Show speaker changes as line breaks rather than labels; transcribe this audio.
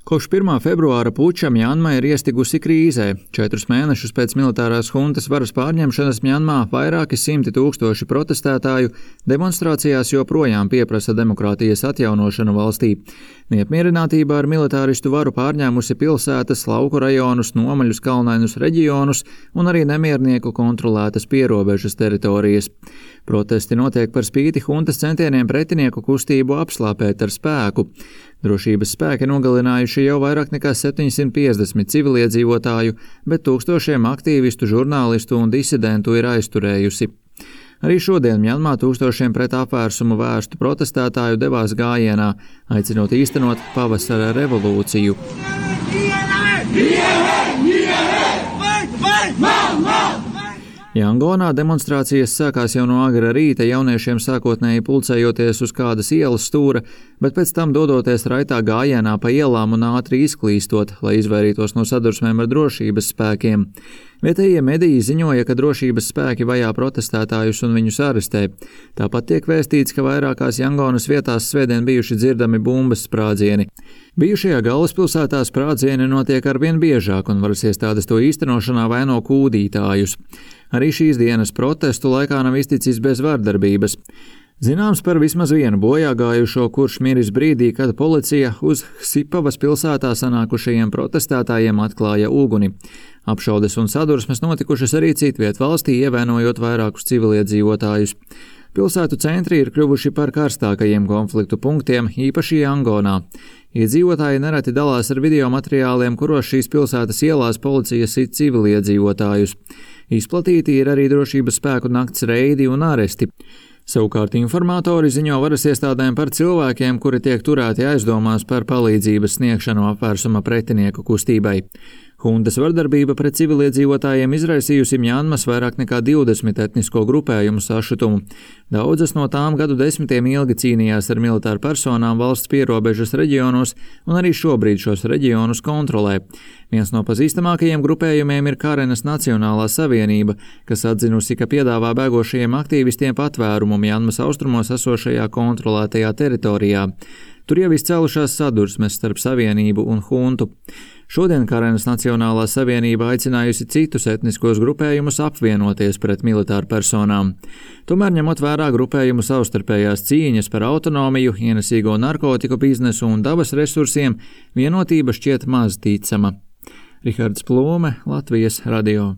Kopš 1. februāra puča Mjanma ir iestigusi krīzē. 4 mēnešus pēc militārās huntas varas pārņemšanas Mjanmā vairāki simti tūkstoši protestētāju demonstrācijās joprojām pieprasa demokrātijas atjaunošanu valstī. Neapmierinātība ar militāristu varu pārņēmusi pilsētas, lauku rajonus, nomaļus kalnainus reģionus un arī nemiernieku kontrolētas pierobežas teritorijas. Protesti notiek par spīti huntas centieniem pretinieku kustību apslāpēt ar spēku. Drošības spēki nogalinājuši jau vairāk nekā 750 civiliedzīvotāju, bet tūkstošiem aktīvistu, žurnālistu un disidentu ir aizturējusi. Arī šodien Mjanmā tūkstošiem pret apvērsumu vērstu protestētāju devās gājienā, aicinot īstenot pavasara revolūciju. Jangonā demonstrācijas sākās jau no agra rīta, jauniešiem sākotnēji pulcējoties uz kādas ielas stūra, bet pēc tam dodoties raitā gājienā pa ielām un ātri izklīstot, lai izvairītos no sadursmēm ar drošības spēkiem. Vietējie mediji ziņoja, ka drošības spēki vajā protestētājus un viņus arestē. Tāpat tiek vēstīts, ka vairākās Jangonas vietās svētdien bijuši dzirdami bumbas sprādzieni. Bijušajā galvaspilsētā sprādzieni notiek arvien biežāk, un varas iestādes to īstenošanā vaino kūdītājus. Arī šīs dienas protestu laikā nav izticis bez vardarbības. Zināms par vismaz vienu bojāgājušo, kurš miris brīdī, kad policija uz Sipavas pilsētā sanākušajiem protestētājiem atklāja uguni. Apšaudes un sadursmes notikušas arī citviet valstī, ievainojot vairākus civiliedzīvotājus. Pilsētu centri ir kļuvuši par karstākajiem konfliktu punktiem, īpaši Jangonā. Iedzīvotāji nereti dalās ar video materiāliem, kuros šīs pilsētas ielās policija sit civiliedzīvotājus. Izplatīti ir arī drošības spēku nakts reidi un aresti. Savukārt informatori ziņo varas iestādēm par cilvēkiem, kuri tiek turēti aizdomās par palīdzības sniegšanu apvērsuma pretinieku kustībai. Huntas vardarbība pret civiliedzīvotājiem izraisījusi Mjanmas vairāk nekā 20 etnisko grupējumu sašutumu. Daudzas no tām gadu desmitiem ilgi cīnījās ar militāru personām valsts pierobežas reģionos un arī šobrīd šos reģionus kontrolē. Viens no pazīstamākajiem grupējumiem ir Karenas Nacionālā savienība, kas atzinusi, ka piedāvā bēgošajiem aktīvistiem patvērumu Mjanmas austrumos esošajā kontrolētajā teritorijā. Tur jau izcēlušās sadursmes starp savienību un huntu. Šodien Karenas Nacionālā savienība aicinājusi citus etniskos grupējumus apvienoties pret militāru personām. Tomēr, ņemot vērā grupējumu savstarpējās cīņas par autonomiju, ienesīgo narkotiku biznesu un dabas resursiem, vienotība šķiet maz ticama. Rihards Plūme, Latvijas radio.